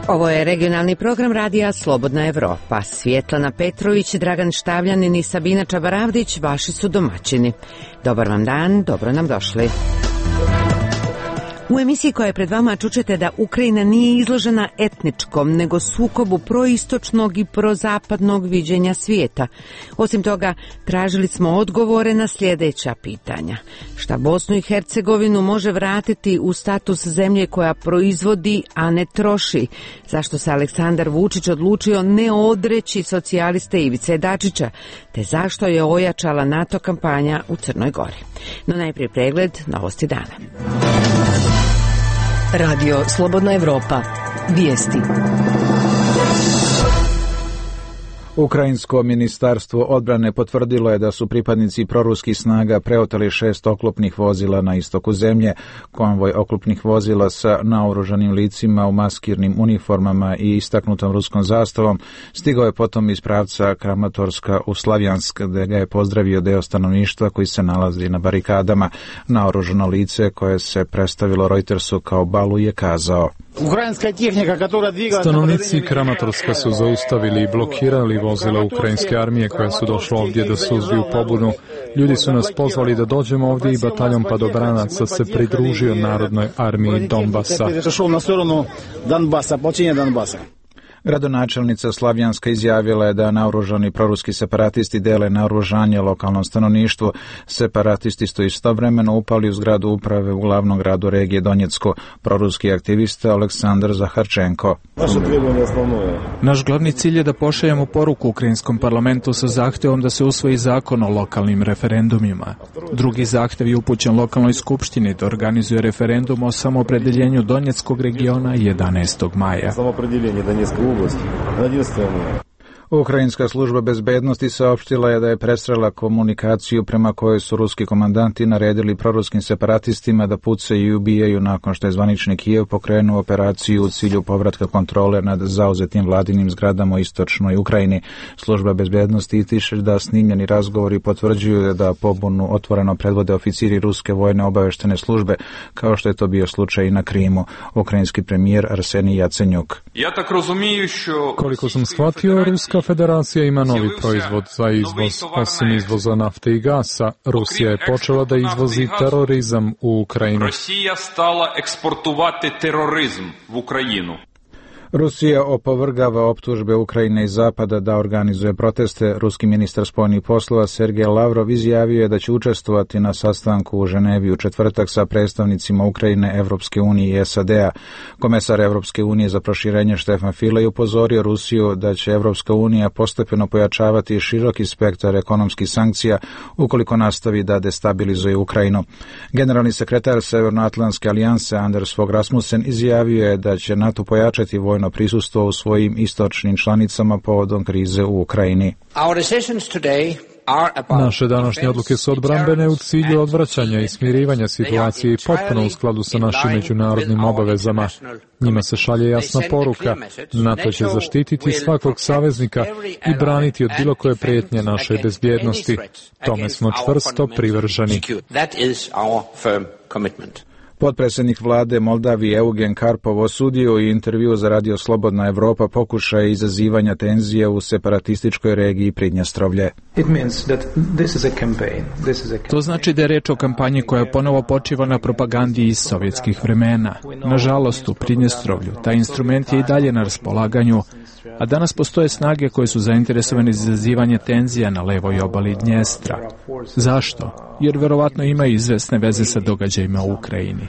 Ovo je regionalni program radija Slobodna Evropa. Svjetlana Petrović, Dragan Štavljanin i Sabina Čabaravdić vaši su domaćini. Dobar vam dan, dobro nam došli. U emisiji koja je pred vama čućete da Ukrajina nije izložena etničkom, nego sukobu proistočnog i prozapadnog viđenja svijeta. Osim toga, tražili smo odgovore na sljedeća pitanja. Šta Bosnu i Hercegovinu može vratiti u status zemlje koja proizvodi, a ne troši? Zašto se Aleksandar Vučić odlučio ne odreći socijaliste Ivice Dačića? Te zašto je ojačala NATO kampanja u Crnoj Gori? No najprije pregled novosti dana. Radio Slobodna Evropa. Vijesti. Ukrajinsko ministarstvo odbrane potvrdilo je da su pripadnici proruskih snaga preoteli 6 oklopnih vozila na istoku zemlje. Konvoj oklopnih vozila sa naoružanim licima u maskirnim uniformama i istaknutom ruskom zastavom stigao je potom iz pravca Kramatorska u Slavjansk, gde ga je pozdravio deo stanovništva koji se nalazi na barikadama. Naoružano lice, koje se predstavilo Reutersu kao Balu, je kazao: Stanovnici Kramatorska su zaustavili i blokirali vozila ukrajinske armije koja su došla ovdje da suzbiju pobunu. Ljudi su nas pozvali da dođemo ovdje i bataljon padobranaca se pridružio Narodnoj armiji Donbasa. Gradonačelnica Slavjanska izjavila je da naoružani proruski separatisti dele naoružanje lokalnom stanovništvu. Separatisti su istovremeno upali u zgradu uprave u glavnom gradu regije Donjecko. Proruski aktivista Aleksandar Zaharčenko: Naš glavni cilj je da pošaljemo poruku ukrajinskom parlamentu sa zahtevom da se usvoji zakon o lokalnim referendumima. Drugi zahtev je upućen lokalnoj skupštini da organizuje referendum o samoopredeljenju Donjeckog regiona 11. maja. Ukrajinska služba bezbednosti saopštila je da je presrela komunikaciju prema kojoj su ruski komandanti naredili proruskim separatistima da pucaju i ubijaju nakon što je zvanični Kijev pokrenuo operaciju u cilju povratka kontrole nad zauzetim vladinim zgradama u istočnoj Ukrajini. Služba bezbednosti ističe da snimljeni razgovori potvrđuju da pobunu otvoreno predvode oficiri ruske vojne obaveštene službe, kao što je to bio slučaj i na Krimu. Ukrajinski premijer Arsenij Jacenjuk: Koliko sam shvatio, Ruska federacija ima novi proizvod za izvoz. Osim izvoza nafte i gasa, Rusija je počela da izvozi terorizam u Ukrajinu. Rusija stala eksportovati terorizam u Ukrajinu. Rusija opovrgava optužbe Ukrajine i Zapada da organizuje proteste. Ruski ministar spoljnih poslova Sergej Lavrov izjavio je da će učestvovati na sastanku u Ženevi u četvrtak sa predstavnicima Ukrajine, Evropske unije i SAD-a. Komesar Evropske unije za proširenje Štefan File je upozorio Rusiju da će Evropska unija postepeno pojačavati široki spektar ekonomskih sankcija ukoliko nastavi da destabilizuje Ukrajinu. Generalni sekretar Severnoatlantske alijanse Anders Fogh Rasmussen izjavio je da će NATO pojačati vojno prisustvo u svojim istočnim članicama povodom krize u Ukrajini. Naše današnje odluke su odbrambene u cilju odvraćanja i smirivanja situacije i potpuno u skladu sa našim međunarodnim obavezama. Njima se šalje jasna poruka: NATO će zaštititi svakog saveznika i braniti od bilo koje prijetnje našoj bezbjednosti. Tome smo čvrsto privrženi. Potpredsjednik vlade Moldavije Eugen Karpov osudio u intervju za Radio Slobodna Evropa pokušaje izazivanja tenzije u separatističkoj regiji Pridnjestrovlje. To znači da je reč o kampanji koja ponovo počiva na propagandi iz sovjetskih vremena. Nažalost, u Pridnjestrovlju taj instrument je i dalje na raspolaganju, a danas postoje snage koje su zainteresovane za izazivanje tenzija na levoj obali Dnjestra. Zašto? Jer verovatno imaju izvesne veze sa događajima u Ukrajini.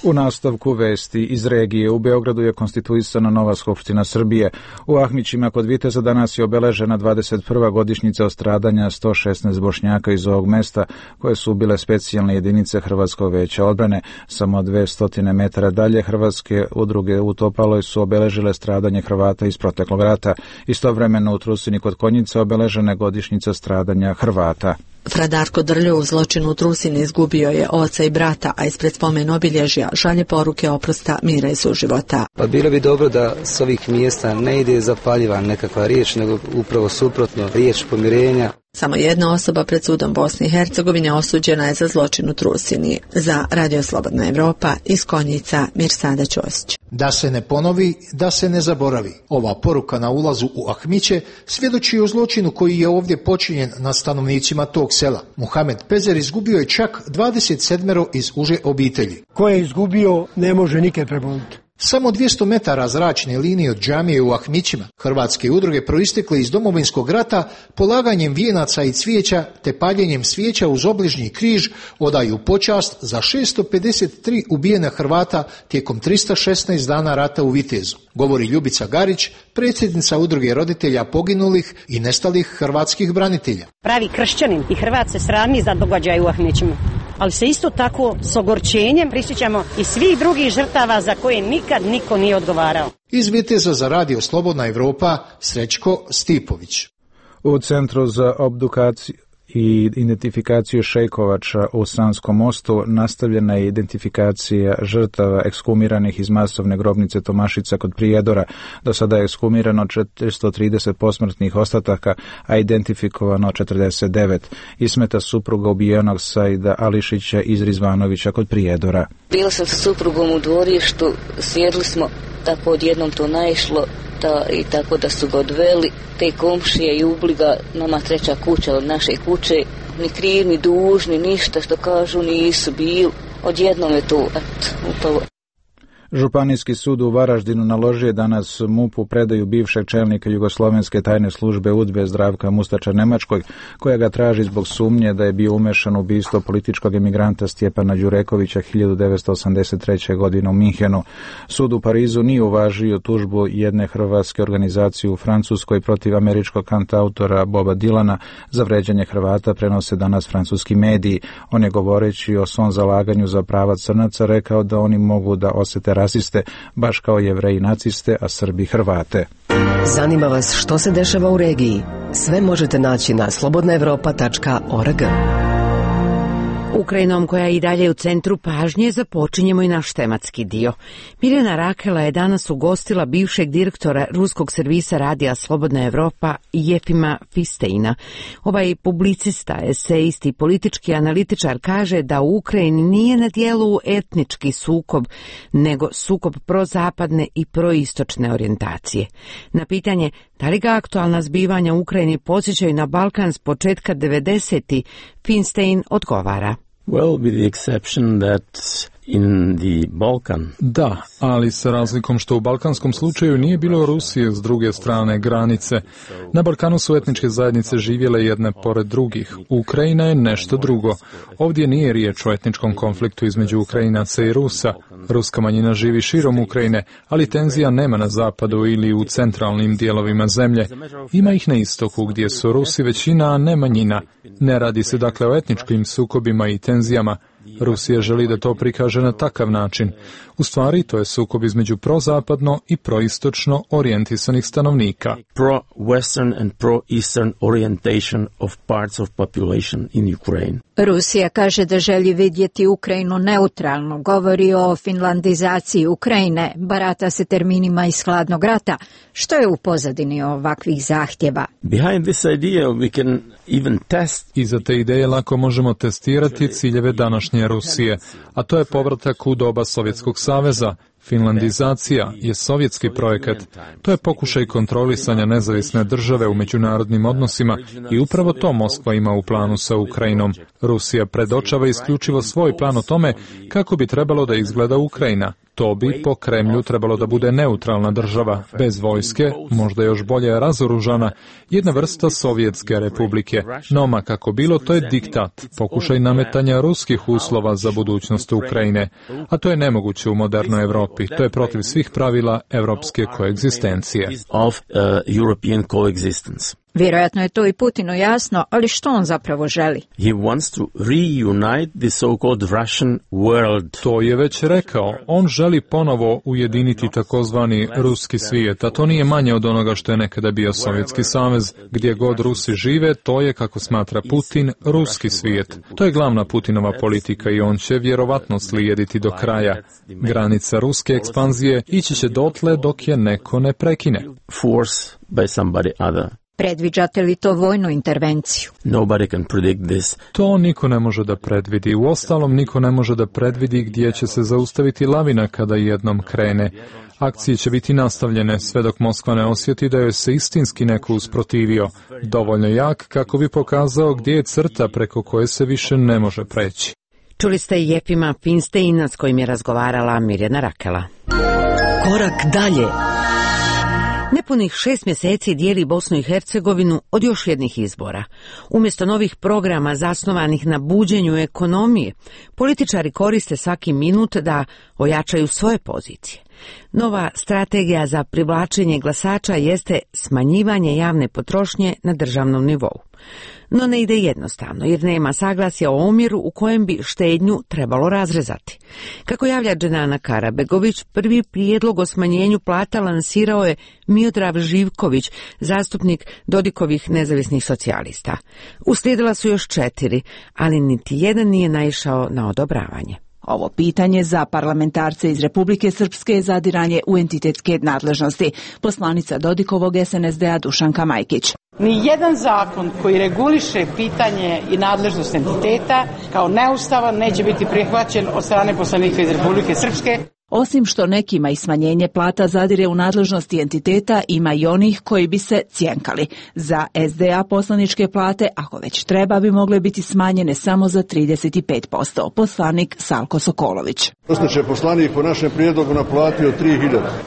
U nastavku vesti iz regije, u Beogradu je konstituisana nova Skupština Srbije. U Ahmićima kod Viteza danas je obeležena 21. godišnjica od stradanja 116 Bošnjaka iz ovog mesta, koje su bile specijalne jedinice Hrvatskog veća odbrane. Samo 200 metara dalje hrvatske udruge u Topaloj su obeležile stradanje Hrvata iz proteklog rata. Istovremeno u Trusini kod Konjica obeležena je godišnjica stradanja Hrvata. Fra Darko Drljo u zločinu u Trusini izgubio je oca i brata, a ispred spomen obilježja šalje poruke oprosta, mira i suživota. Pa bilo bi dobro da s ovih mjesta ne ide zapaljiva nekakva riječ, nego upravo suprotno, riječ pomirenja. Samo jedna osoba pred sudom Bosne i Hercegovine osuđena je za zločin u Trusini. Za Radio Slobodna Evropa iz Konjica Mirsada Ćosić. Da se ne ponovi, da se ne zaboravi. Ova poruka na ulazu u Ahmiće svjedoči o zločinu koji je ovdje počinjen na stanovnicima tog sela. Muhamed Pezer izgubio je čak 27 iz uže obitelji. Ko je izgubio ne može nikad preboliti. Samo 200 metara zračne linije od džamije u Ahmićima hrvatske udruge proistekle iz Domovinskog rata polaganjem vijenaca i cvijeća te paljenjem svijeća uz obližnji križ odaju počast za 653 ubijena Hrvata tijekom 316 dana rata u Vitezu, govori Ljubica Garić, predsjednica udruge roditelja poginulih i nestalih hrvatskih branitelja. Pravi kršćanin i Hrvat se srami za događaj u Ahmićima, ali se isto tako s ogorčenjem prisjećamo i svih drugih žrtava za koje nikad niko nije odgovarao. Iz Viteza za Radio Slobodna Evropa, Srećko Stipović. U Centru za obdukaciju i identifikaciju šejkovača u Sanskom mostu nastavljena je identifikacija žrtava ekshumiranih iz masovne grobnice Tomašica kod Prijedora. Do sada je ekshumirano 430 posmrtnih ostataka, a identifikovano 49. Ismeta supruga ubijenog Saida Ališića iz Rizvanovića kod Prijedora. Bila sam sa suprugom u dvorištu, sjedli smo, tako odjednom to naišlo i tako da su ga odveli. Te komšije i ubliga, nama treća kuća od naše kuće, ni kriv, ni dužni, ništa što kažu nisu bili. Odjednom je to upalo. Županijski sud u Varaždinu naložio je danas MUP-u predaju bivšeg čelnika Jugoslovenske tajne službe UDBE Zdravka Mustača Nemačkog, koja ga traži zbog sumnje da je bio umešan u ubistvo političkog emigranta Stjepana Đurekovića 1983. godine u Minhenu. Sud u Parizu nije uvažio tužbu jedne hrvatske organizacije u Francuskoj protiv američkog kantautora Boba Dilana za vređanje Hrvata, prenose danas francuski mediji. On je, govoreći o svom zalaganju za prava crnaca, rekao da oni mogu da osete rasiste, baš kao Jevreji naciste, a Srbi Hrvate. Zanima vas što se dešava u regiji? Sve možete naći na slobodnaevropa.org. Ukrajinom, koja je i dalje u centru pažnje, započinjemo i naš tematski dio. Mirjana Rakela je danas ugostila bivšeg direktora ruskog servisa radija Slobodna Evropa Jefima Fisteina. Ovaj publicista, esejist i politički analitičar kaže da u Ukrajini nije na dijelu etnički sukob, nego sukob prozapadne i proistočne orijentacije. Na pitanje da li ga aktualna zbivanja u Ukrajini podsjećaju na Balkan s početka 90-ih, Finstein odgovara. Well, with the exception that in the Balkan. Da, ali sa razlikom što u balkanskom slučaju nije bilo Rusije s druge strane granice. Na Balkanu su etničke zajednice živjele jedne pored drugih. Ukrajina je nešto drugo. Ovdje nije riječ o etničkom konfliktu između Ukrajinaca i Rusa. Ruska manjina živi širom Ukrajine, ali tenzija nema na zapadu ili u centralnim dijelovima zemlje. Ima ih na istoku gdje su Rusi većina, a ne manjina. Ne radi se dakle o etničkim sukobima i tenzijama. Rusija želi da to prikaže na takav način. U stvari, to je sukob između prozapadno i proistočno orijentisanih stanovnika. Pro-western and pro-eastern orientation of parts of population in Ukraine. Rusija kaže da želi vidjeti Ukrajinu neutralno, govori o finlandizaciji Ukrajine, barata se terminima iz hladnog rata. Što je u pozadini ovakvih zahtjeva? Behind this idea we can even test. Iza te ideje lako možemo testirati ciljeve današnje Rusije, a to je povratak u doba Sovjetskog saveza. Finlandizacija je sovjetski projekat. To je pokušaj kontrolisanja nezavisne države u međunarodnim odnosima i upravo to Moskva ima u planu sa Ukrajinom. Rusija predočava isključivo svoj plan o tome kako bi trebalo da izgleda Ukrajina. To bi po Kremlju trebalo da bude neutralna država, bez vojske, možda još bolje razoružana, jedna vrsta Sovjetske republike. No, ma kako bilo, to je diktat, pokušaj nametanja ruskih uslova za budućnost Ukrajine. A to je nemoguće u modernoj Evropi. To je protiv svih pravila evropske koegzistencije. Vjerojatno je to i Putinu jasno, ali što on zapravo želi? He wants to reunite the so-called Russian world. To je već rekao. On želi ponovo ujediniti takozvani ruski svijet, a to nije manje od onoga što je nekada bio Sovjetski savez. Gdje god Rusi žive, to je, kako smatra Putin, ruski svijet. To je glavna Putinova politika i on će vjerovatno slijediti do kraja. Granica ruske ekspanzije ići će dotle dok je neko ne prekine. Force by somebody other. Predviđate li to vojnu intervenciju? Nobody can predict this. To niko ne može da predvidi. Uostalom, niko ne može da predvidi gdje će se zaustaviti lavina kada jednom krene. Akcije će biti nastavljene sve dok Moskva ne osjeti da joj se istinski neko usprotivio, dovoljno jak kako bi pokazao gdje je crta preko koje se više ne može preći. Čuli ste i Jefima Finsteina s kojim je razgovarala Mirjana Rakela. Korak dalje. Nepunih 6 mjeseci dijeli Bosnu i Hercegovinu od još jednih izbora. Umjesto novih programa zasnovanih na buđenju ekonomije, političari koriste svaki minut da ojačaju svoje pozicije. Nova strategija za privlačenje glasača jeste smanjivanje javne potrošnje na državnom nivou. No ne ide jednostavno, jer nema saglasja o omjeru u kojem bi štednju trebalo razrezati. Kako javlja Dženana Karabegović, prvi prijedlog o smanjenju plata lansirao je Miodrag Živković, zastupnik Dodikovih nezavisnih socijalista. Uslijedila su još 4, ali niti jedan nije naišao na odobravanje. Ovo pitanje za parlamentarce iz Republike Srpske je zadiranje u entitetske nadležnosti. Poslanica Dodikovog SNSD-a Dušanka Majkić. Nijedan zakon koji reguliše pitanje i nadležnost entiteta kao neustavan neće biti prihvaćen od strane poslanika iz Republike Srpske. Osim što nekima i smanjenje plata zadire u nadležnosti entiteta, ima i onih koji bi se cjenkali. Za SDA poslaničke plate, ako već treba, bi mogle biti smanjene samo za 35%. Poslanik Salko Sokolović. Će poslanik po našem prijedlogu naplatio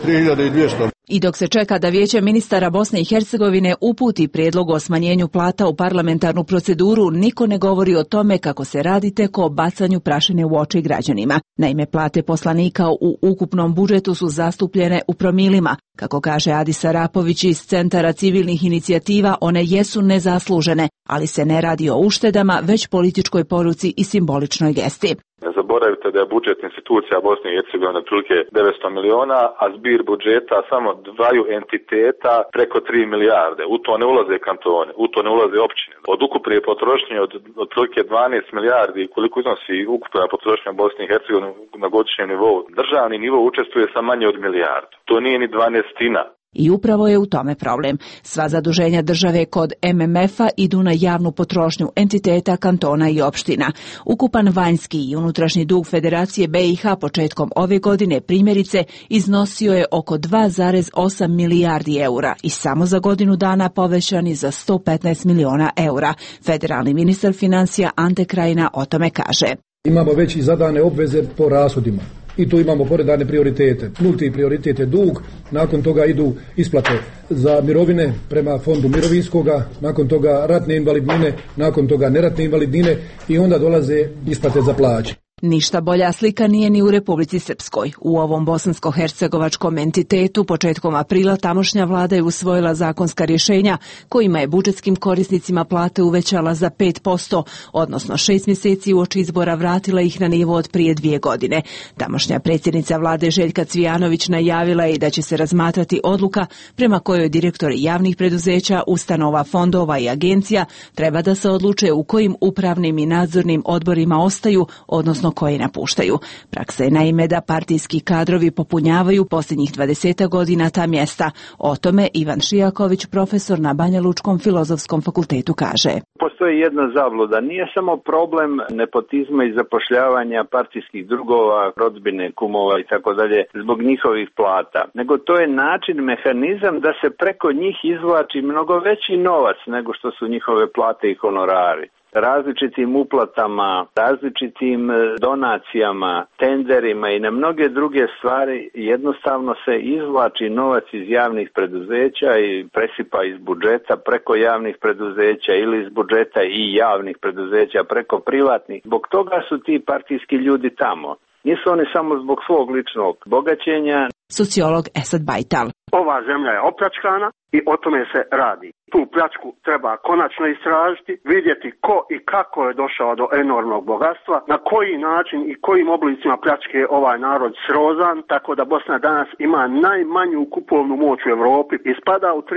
3.200. I dok se čeka da Vijeće ministara Bosne i Hercegovine uputi prijedlog o smanjenju plata u parlamentarnu proceduru, niko ne govori o tome kako se radi tek o bacanju prašine u oči građanima. Naime, plate poslanika u ukupnom budžetu su zastupljene u promilima. Kako kaže Adis Arapović iz Centara civilnih inicijativa, one jesu nezaslužene, ali se ne radi o uštedama, već političkoj poruci i simboličnoj gesti. Ne zaboravite da je budžet institucija Bosne i Hercegovine otprilike 900 miliona, a zbir budžeta samo dvaju entiteta preko 3 milijarde. U to ne ulaze kantone, u to ne ulaze općine. Od ukupne potrošnje od otprilike 12 milijardi, koliko iznosi ukupna potrošnja Bosne i Hercegovine na godišnjem nivou, državni nivo učestvuje sa manje od milijardu. To nije ni 12-tina. I upravo je u tome problem. Sva zaduženja države kod MMF-a idu na javnu potrošnju entiteta, kantona i opština. Ukupan vanjski i unutrašnji dug Federacije BiH početkom ove godine primjerice iznosio je oko 2,8 milijardi eura i samo za godinu dana povećan je za 115 miliona eura. Federalni ministar financija Ante Krajina o tome kaže. Imamo već i zadane obveze po rashodima. I tu imamo poredane prioritete. Nulti prioritet je dug, nakon toga idu isplate za mirovine prema fondu mirovinskoga, nakon toga ratne invalidnine, nakon toga neratne invalidnine i onda dolaze isplate za plaće. Ništa bolja slika nije ni u Republici Srpskoj. U ovom bosansko-hercegovačkom entitetu početkom aprila tamošnja vlada je usvojila zakonska rješenja kojima je budžetskim korisnicima plate uvećala za 5%, odnosno 6 mjeseci uoči izbora vratila ih na nivo od prije 2 godine. Tamošnja predsjednica vlade Željka Cvijanović najavila je da će se razmatrati odluka prema kojoj direktori javnih preduzeća, ustanova, fondova i agencija treba da se odluče u kojim upravnim i nadzornim odborima ostaju, odnosno koje napuštaju. Praksa je naime da partijski kadrovi popunjavaju posljednjih 20 godina ta mjesta. O tome Ivan Šijaković, profesor na Banja Lučkom filozofskom fakultetu, kaže. Postoji jedna zabluda. Nije samo problem nepotizma i zapošljavanja partijskih drugova, rodbine, kumova i tako dalje zbog njihovih plata, nego to je način, mehanizam da se preko njih izvlači mnogo veći novac nego što su njihove plate i honorari. Različitim uplatama, različitim donacijama, tenderima i na mnoge druge stvari jednostavno se izvlači novac iz javnih preduzeća i presipa iz budžeta preko javnih preduzeća ili iz budžeta i javnih preduzeća preko privatnih. Zbog toga su ti partijski ljudi tamo. Nisu oni samo zbog svog ličnog bogaćenja. Sociolog Esad Bajtal. Ova zemlja je opljačkana i o tome se radi. Tu pljačku treba konačno istražiti, vidjeti ko i kako je došao do enormnog bogatstva, na koji način i kojim oblicima pljačke ovaj narod srozan, tako da Bosna danas ima najmanju kupovnu moć u Europi i spada u 13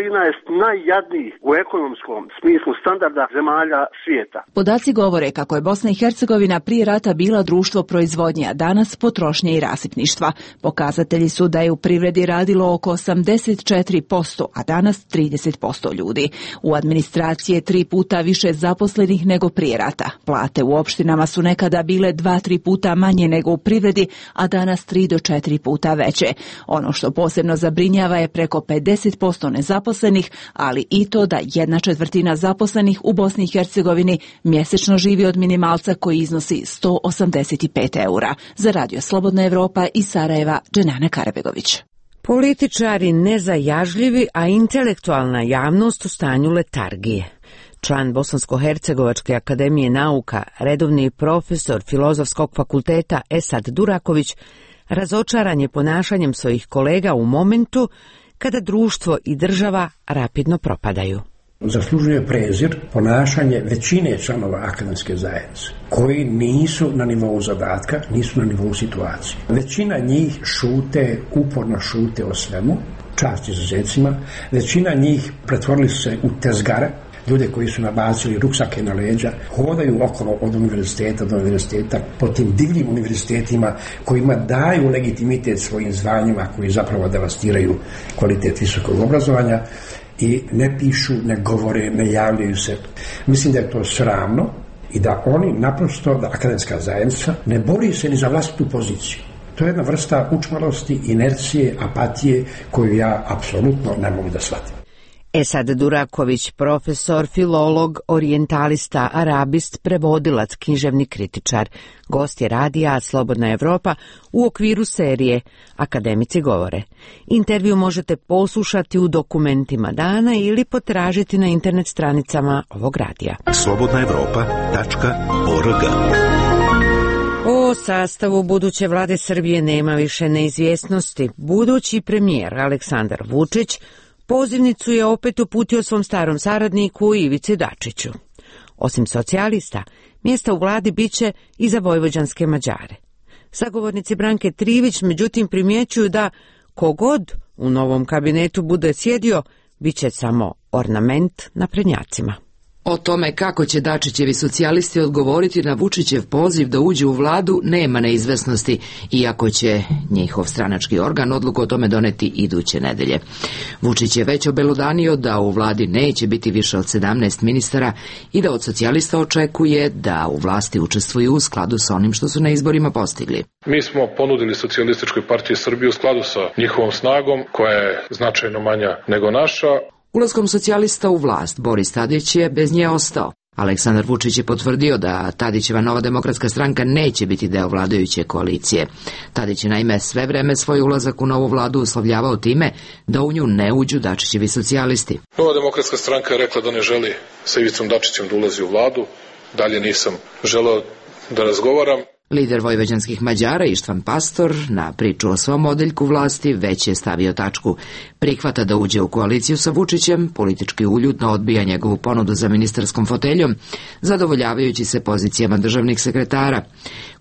najjadnijih u ekonomskom smislu standarda zemalja svijeta. Podaci govore kako je Bosna i Hercegovina prije rata bila društvo proizvodnje, a danas potrošnje i rasipništva. Pokazatelji su da da je u privredi radilo oko 84%, a danas 30% ljudi. U administraciji je 3 puta više zaposlenih nego prije rata. Plate u opštinama su nekada bile 2-3 puta manje nego u privredi, a danas 3 do 4 puta veće. Ono što posebno zabrinjava je preko 50% nezaposlenih, ali i to da 1/4 zaposlenih u Bosni i Hercegovini mjesečno živi od minimalca koji iznosi 185 eura. Za Radio Slobodna Evropa iz Sarajeva, Dženana Karabegović. Političari nezajažljivi, a intelektualna javnost u stanju letargije. Član Bosansko-hercegovačke akademije nauka, redovni profesor Filozofskog fakulteta Esad Duraković, razočaran je ponašanjem svojih kolega u momentu kada društvo i država rapidno propadaju. Zaslužuje prezir ponašanje većine članova akademske zajednice, koji nisu na nivou zadatka, nisu na nivou situacije. Većina njih uporno šute o svemu, čast izuzecima, većina njih pretvorili su se u tezgare, ljude koji su nabacili ruksake na leđa, hodaju okolo od univerziteta do univerziteta po tim divljim univerzitetima kojima daju legitimitet svojim zvanjima, koji zapravo devastiraju kvalitet visokog obrazovanja i ne pišu, ne govore, ne javljaju se. Mislim da je to sramno i da oni naprosto, da akademska zajednica ne bori se ni za vlastitu poziciju. To je jedna vrsta učmalosti, inercije, apatije koju ja apsolutno ne mogu da shvatim. Esad Duraković, profesor, filolog, orijentalista, arabist, prevodilac, književni kritičar, gost je radija Slobodna Evropa u okviru serije Akademici govore. Intervju možete poslušati u dokumentima dana ili potražiti na internet stranicama ovog radija. slobodnaevropa.org. O sastavu buduće vlade Srbije nema više neizvjesnosti. Budući premijer Aleksandar Vučić pozivnicu je opet uputio svom starom saradniku Ivici Dačiću. Osim socijalista, mjesta u vladi biće i za vojvođanske Mađare. Sagovornici Branke Trivić međutim primjećuju da kogod u novom kabinetu bude sjedio, bit će samo ornament na prednjacima. O tome kako će Dačićevi socijalisti odgovoriti na Vučićev poziv da uđe u vladu nema neizvesnosti, iako će njihov stranački organ odluku o tome doneti iduće nedelje. Vučić je već obelodanio da u vladi neće biti više od 17 ministara i da od socijalista očekuje da u vlasti učestvuju u skladu sa onim što su na izborima postigli. Mi smo ponudili Socijalističkoj partiji Srbije u skladu sa njihovom snagom, koja je značajno manja nego naša. Ulaskom socijalista u vlast, Boris Tadić je bez nje ostao. Aleksandar Vučić je potvrdio da Tadićeva Nova demokratska stranka neće biti deo vladajuće koalicije. Tadić je naime sve vreme svoj ulazak u novu vladu uslovljavao time da u nju ne uđu Dačićevi socijalisti. Nova demokratska stranka je rekla da ne želi sa Ivicom Dačićem da ulazi u vladu. Dalje nisam želeo da razgovaram. Lider vojvođanskih Mađara Ištvan Pastor na priču o svom odeljku vlasti već je stavio tačku. Prihvata da uđe u koaliciju sa Vučićem, politički uljudno odbija njegovu ponudu za ministarskom foteljom, zadovoljavajući se pozicijama državnih sekretara.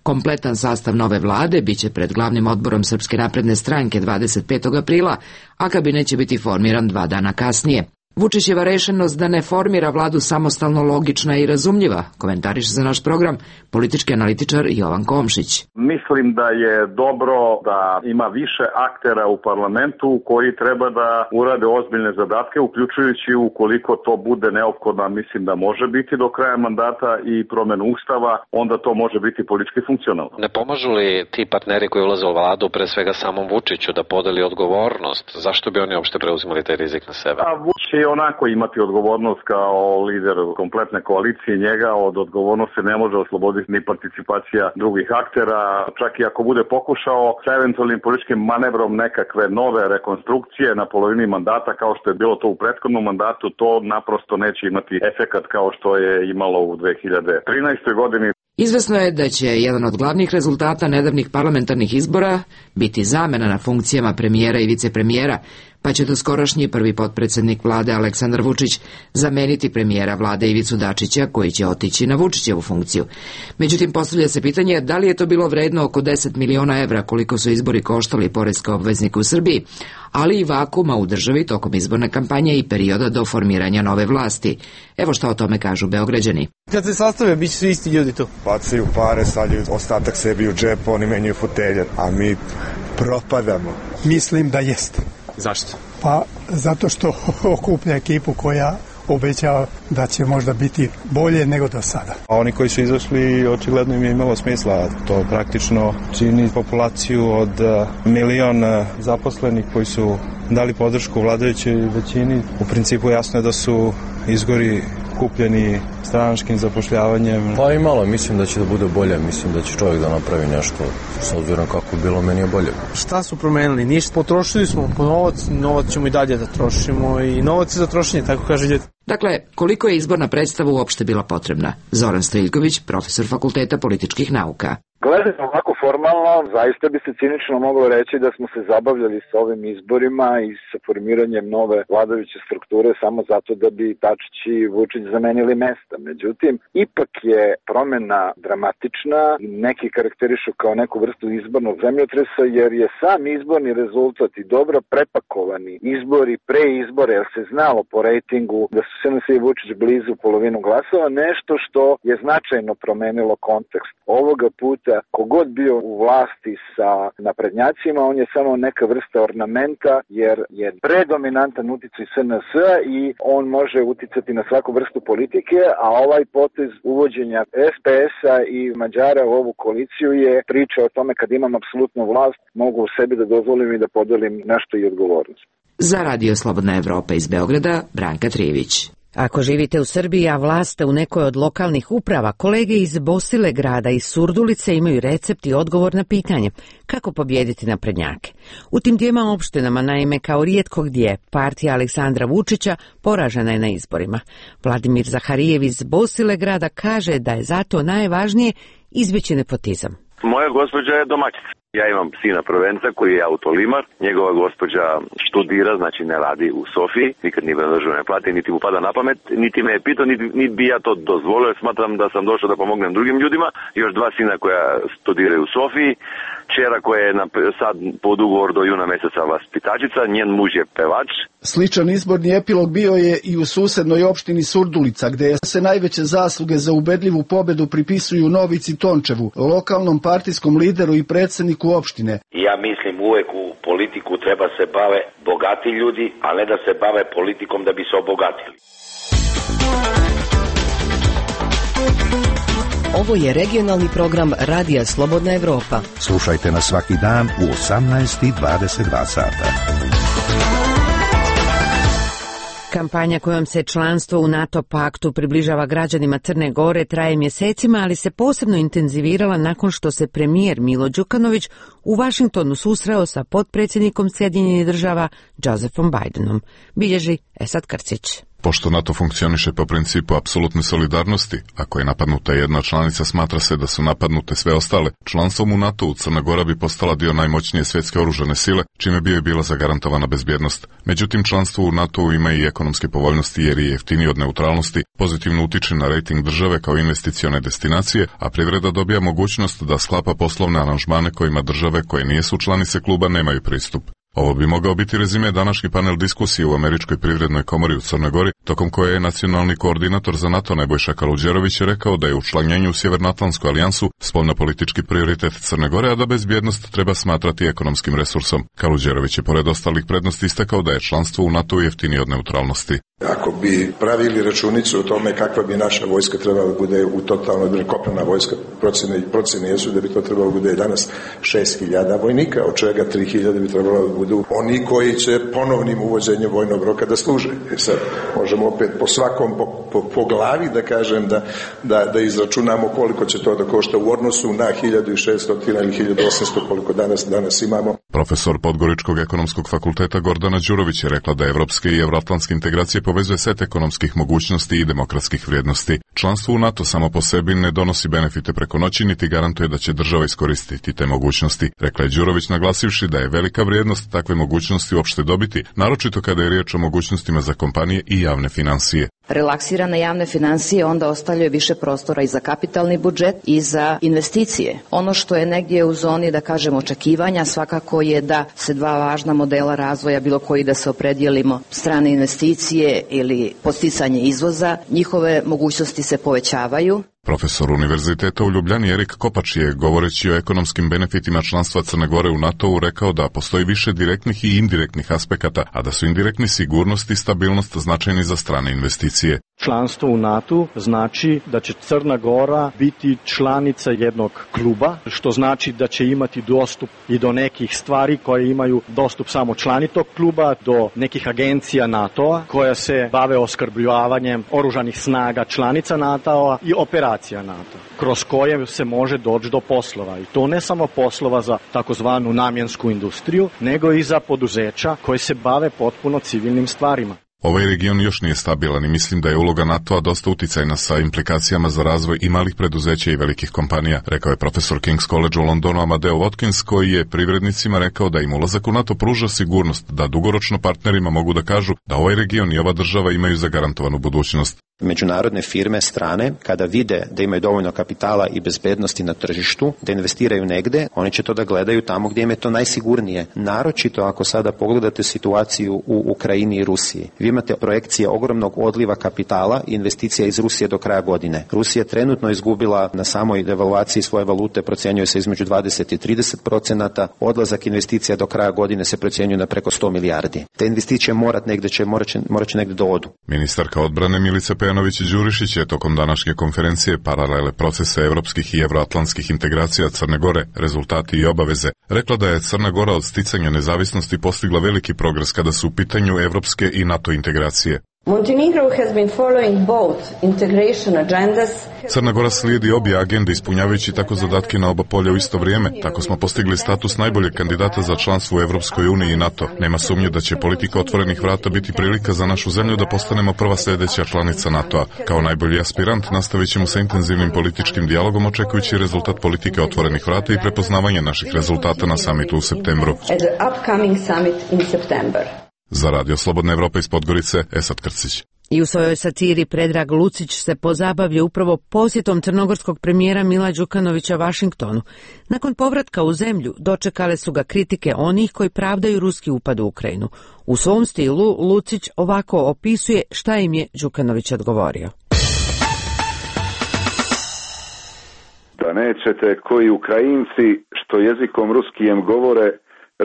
Kompletan sastav nove vlade biće pred glavnim odborom Srpske napredne stranke 25. aprila, a kabinet će biti formiran 2 dana kasnije. Vučićeva rešenost da ne formira vladu samostalno logična i razumljiva, komentariše za naš program politički analitičar Jovan Komšić. Mislim da je dobro da ima više aktera u parlamentu koji treba da urade ozbiljne zadatke, uključujući ukoliko to bude neophodno, mislim da može biti do kraja mandata i promjenu ustava, onda to može biti politički funkcionalno. Ne pomažu li ti partneri koji ulaze u vladu pre svega samom Vučiću da podeli odgovornost? Zašto bi oni uopšte preuzimali taj rizik na sebe? A Vučić će onako imati odgovornost kao lider kompletne koalicije, njega od odgovornosti ne može osloboditi ni participacija drugih aktera, čak i ako bude pokušao sa eventualnim političkim manevrom nekakve nove rekonstrukcije na polovini mandata kao što je bilo to u prethodnom mandatu, to naprosto neće imati efekat kao što je imalo u 2013. godini. Izvesno je da će jedan od glavnih rezultata nedavnih parlamentarnih izbora biti zamena na funkcijama premijera i vicepremijera, pa će doskorašnji prvi potpredsjednik vlade Aleksandar Vučić zameniti premijera vlade Ivicu Dačića, koji će otići na Vučićevu funkciju. Međutim, postavlja se pitanje da li je to bilo vredno oko 10 miliona evra koliko su izbori koštali poreske obveznike u Srbiji, ali i vakuma u državi tokom izborne kampanje i perioda do formiranja nove vlasti. Evo šta o tome kažu Beograđani. Kad se sastave, bit će svi isti ljudi tu. Bacaju pare, stavljaju ostatak sebi u džep, oni menjaju fotelje, a mi propadamo. Mislim da jeste. Zašto? Pa zato što okuplja ekipu koja obećava da će možda biti bolje nego do sada. A oni koji su izašli, očigledno im je imalo smisla. To praktično čini populaciju od 1 milion zaposlenih koji su dali podršku vladajućoj većini. U principu jasno je da su izbori kupljeni stranačkim zapošljavanjem. Pa i malo, mislim da će da bude bolje, mislim da će čovjek da napravi nešto, s obzirom kako je bilo, meni je bolje. Šta su promenili? Ništa. Potrošili smo po novac ćemo i dalje da trošimo i novac je za trošenje, tako kaže ljudi. Dakle, koliko je izborna predstava uopšte bila potrebna? Zoran Stojiljković, profesor Fakulteta političkih nauka. Gledano ovako formalno, zaista bi se cinično moglo reći da smo se zabavljali sa ovim izborima i sa formiranjem nove vladajuće strukture samo zato da bi Dačić i Vučić zamenili mesta. Međutim, ipak je promena dramatična i neki karakterišu kao neku vrstu izbornog zemljotresa, jer je sam izborni rezultat i dobro prepakovani izbori pre izbora, jer se znalo po rejtingu da su SNS i Vučić blizu polovinu glasova, nešto što je značajno promenilo kontekst ovoga puta. Kogod bio u vlasti sa naprednjacima, on je samo neka vrsta ornamenta, jer je predominantan uticaj SNS i on može uticati na svaku vrstu politike, a ovaj potez uvođenja SPS-a i Mađara u ovu koaliciju je priča o tome kad imam apsolutnu vlast, mogu u sebi da dozvolim i da podelim nešto i odgovornost. Za Radio Slobodna Evropa iz Beograda, Branka Trijević. Ako živite u Srbiji, a vlast ste u nekoj od lokalnih uprava, kolege iz Bosilegrada i Surdulice imaju recept i odgovor na pitanje kako pobijediti naprednjake. U tim dvijema opštinama, naime, kao rijetko gdje, partija Aleksandra Vučića poražena je na izborima. Vladimir Zaharijev iz Bosilegrada kaže da je zato najvažnije izbjeći nepotizam. Moja gospođa je domaćica. Ja imam sina prvenca koji je autolimar, njegova gospođa študira, znači ne radi u Sofiji, nikad ni državne plate, niti mu pada na pamet, niti me je pitao, niti bi ja to dozvolio, smatram da sam došao da pomognem drugim ljudima, još 2 sina koja studiraju u Sofiji, čera koja je sad pod ugovor do juna mjeseca vaspitačica, njen muž je pevač. Sličan izborni epilog bio je i u susednoj opštini Surdulica, gdje se najveće zasluge za ubedljivu pobedu pripisuju Novici Tončevu, lokalnom partijskom lideru i predsjedniku opštine. Ja mislim uvek u politiku treba se bave bogati ljudi, a ne da se bave politikom da bi se obogatili. Ovo je regionalni program Radija Slobodna Evropa. Slušajte nas svaki dan u 18:22 sata. Kampanja kojom se članstvo u NATO paktu približava građanima Crne Gore traje mjesecima, ali se posebno intenzivirala nakon što se premijer Milo Đukanović u Vašingtonu susreo sa potpredsjednikom Sjedinjenih Država Josephom Bidenom. Bilježi Esad Krcić. Pošto NATO funkcioniše po principu apsolutne solidarnosti, ako je napadnuta jedna članica, smatra se da su napadnute sve ostale. Članstvom u NATO-u Crna Gora bi postala dio najmoćnije svjetske oružane sile, čime bi joj bila zagarantovana bezbjednost. Međutim, članstvo u NATO-u ima i ekonomske povoljnosti jer je jeftiniji od neutralnosti, pozitivno utiče na rejting države kao investicione destinacije, a privreda dobija mogućnost da sklapa poslovne aranžmane kojima države koje nisu članice kluba nemaju pristup. Ovo bi mogao biti rezime današnji panel diskusije u Američkoj privrednoj komori u Crnoj Gori, tokom koje je nacionalni koordinator za NATO Nebojša Kaluđerović rekao da je učlanjenje u Sjevernoatlantsku alijansu spoljnopolitički prioritet Crne Gore, a da bezbjednost treba smatrati ekonomskim resursom. Kaluđerović je pored ostalih prednosti istakao da je članstvo u NATO jeftinije od neutralnosti. Ako bi pravili računicu o tome kakva bi naša vojska trebala da bude u totalnoj kopnena vojska, procene jesu da bi to trebalo bude danas 6.000 vojnika, od čega 3.000 bi trebalo da budu oni koji će ponovnim uvođenjem vojnog roka da služe. Sad možemo opet po svakom po glavi da kažem da izračunamo koliko će to da košta u odnosu na 1.600 ili 1.800 koliko danas imamo. Profesor Podgoričkog ekonomskog fakulteta Gordana Đurović je rekla da evropske i evroatlantske integracije povezuje set ekonomskih mogućnosti i demokratskih vrijednosti. Članstvo u NATO samo po sebi ne donosi benefite preko noći, niti garantuje da će država iskoristiti te mogućnosti, rekla je Đurović, naglasivši da je velika vrijednost takve mogućnosti uopšte dobiti, naročito kada je riječ o mogućnostima za kompanije i javne financije. Relaksirane javne financije onda ostavljaju više prostora i za kapitalni budžet i za investicije. Ono što je negdje u zoni, da kažem, očekivanja svakako je da se 2 važna modela razvoja, bilo koji da se opredijelimo, strane investicije ili podsticanje izvoza, njihove mogućnosti se povećavaju. Profesor Univerziteta u Ljubljani Erik Kopač je, govoreći o ekonomskim benefitima članstva Crne Gore u NATO-u, rekao da postoji više direktnih i indirektnih aspekata, a da su indirektni sigurnost i stabilnost značajni za strane investicije. Članstvo u NATO znači da će Crna Gora biti članica jednog kluba, što znači da će imati dostup i do nekih stvari koje imaju dostup samo člani tog kluba, do nekih agencija NATO-a koja se bave oskrbljavanjem oružanih snaga članica NATO-a i operacija NATO, kroz koje se može doći do poslova. I to ne samo poslova za takozvanu namjensku industriju, nego i za poduzeća koje se bave potpuno civilnim stvarima. Ovaj region još nije stabilan i mislim da je uloga NATO-a dosta uticajna sa implikacijama za razvoj i malih preduzeća i velikih kompanija, rekao je profesor King's College u Londonu Amadeo Watkins, koji je privrednicima rekao da im ulazak u NATO pruža sigurnost, da dugoročno partnerima mogu da kažu da ovaj region i ova država imaju zagarantovanu budućnost. Međunarodne firme strane, kada vide da imaju dovoljno kapitala i bezbednosti na tržištu, da investiraju negde, oni će to da gledaju tamo gdje im je to najsigurnije. Naročito ako sada pogledate situaciju u Ukrajini i Rusiji. Vi imate projekcije ogromnog odliva kapitala i investicija iz Rusije do kraja godine. Rusija trenutno izgubila na samoj devaluaciji svoje valute, procjenjuje se između 20 i 30%, odlazak investicija do kraja godine se procjenjuje na preko 100 milijardi. Te investicije morat će negde do odu. Ministarka odbrane Milica Pejanović Đurišić je tokom današnje konferencije Paralele procesa evropskih i evroatlantskih integracija Crne Gore, rezultati i obaveze, rekla da je Crna Gora od sticanja nezavisnosti postigla veliki progres kada su u pitanju evropske i NATO integracije. Montenegro has been following both integration agendas. Crna Gora slijedi obje agende ispunjavajući tako zadatke na oba polja u isto vrijeme. Tako smo postigli status najboljeg kandidata za članstvo u Evropskoj uniji i NATO. Nema sumnje da će politika otvorenih vrata biti prilika za našu zemlju da postanemo prva sljedeća članica NATO-a. Kao najbolji aspirant nastavit ćemo sa intenzivnim političkim dijalogom očekujući rezultat politike otvorenih vrata i prepoznavanje naših rezultata na samitu u septembru. Za Radio Slobodna Evropa iz Podgorice, Esad Krcić. I u svojoj satiri Predrag Lucić se pozabavlja upravo posjetom crnogorskog premijera Mila Đukanovića Vašingtonu. Nakon povratka u zemlju dočekale su ga kritike onih koji pravdaju ruski upad u Ukrajinu. U svom stilu Lucić ovako opisuje šta im je Đukanović odgovorio. Da nećete koji Ukrajinci što jezikom ruskijem govore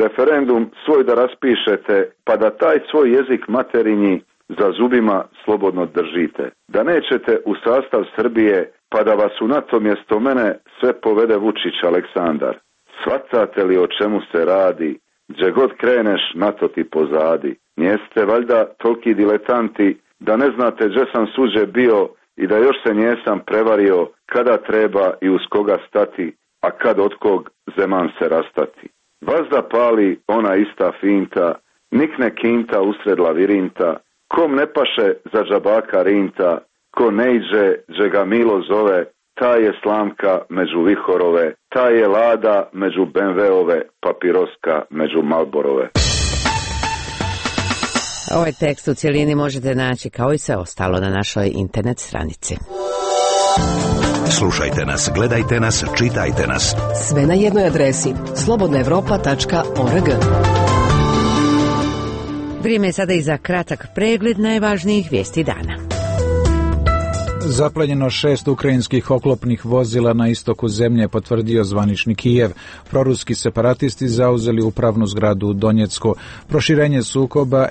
referendum svoj da raspišete, pa da taj svoj jezik materinji za zubima slobodno držite. Da nećete u sastav Srbije, pa da vas u NATO mjesto mene sve povede Vučić Aleksandar. Svatate li o čemu se radi, gdje god kreneš NATO ti pozadi. Njeste valjda toliki diletanti da ne znate gdje sam suđe bio i da još se njesam prevario kada treba i uz koga stati, a kad od kog zeman se rastati. Vazda pali ona ista finta, nikne kinta usred lavirinta, kom ne paše za džabaka rinta, ko ne iđe dže ga Milo zove, ta je slamka među vihorove, ta je lada među BMW-ove, papiroska među Malborove. Ovaj tekst u cjelini možete naći kao i sve ostalo na našoj internet stranici. Slušajte nas, gledajte nas, čitajte nas. Sve na jednoj adresi slobodnaevropa.org. Vrijeme je sada i za kratak pregled najvažnijih vijesti dana. Zaplenjeno 6 ukrajinskih oklopnih vozila na istoku zemlje, potvrdio zvanični Kijev. Proruski separatisti zauzeli upravnu zgradu u Donjecku. Proširenje sukoba,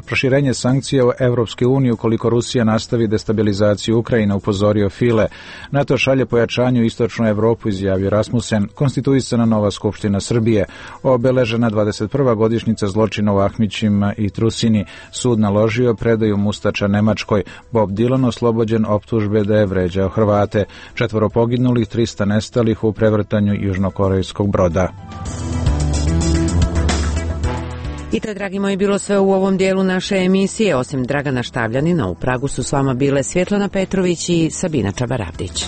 proširenje sankcija u Evropske unije ukoliko Rusija nastavi destabilizaciju Ukrajine, upozorio File. NATO šalje pojačanju istočnu Evropu, izjavio Rasmussen. Konstituisana nova skupština Srbije. Obeležena 21. godišnjica zločina u Ahmićima i Trusini. Sud naložio predaju Mustača Nemačkoj. Bob Dylan oslobođen optužbe da je vređao Hrvate. 4 poginulih, 300 nestalih u prevrtanju južnokorejskog broda. I to je, dragi moji, bilo sve u ovom dijelu naše emisije. Osim Dragana Štavljanina, u Pragu su s vama bile Svjetlana Petrović i Sabina Čabaravdić.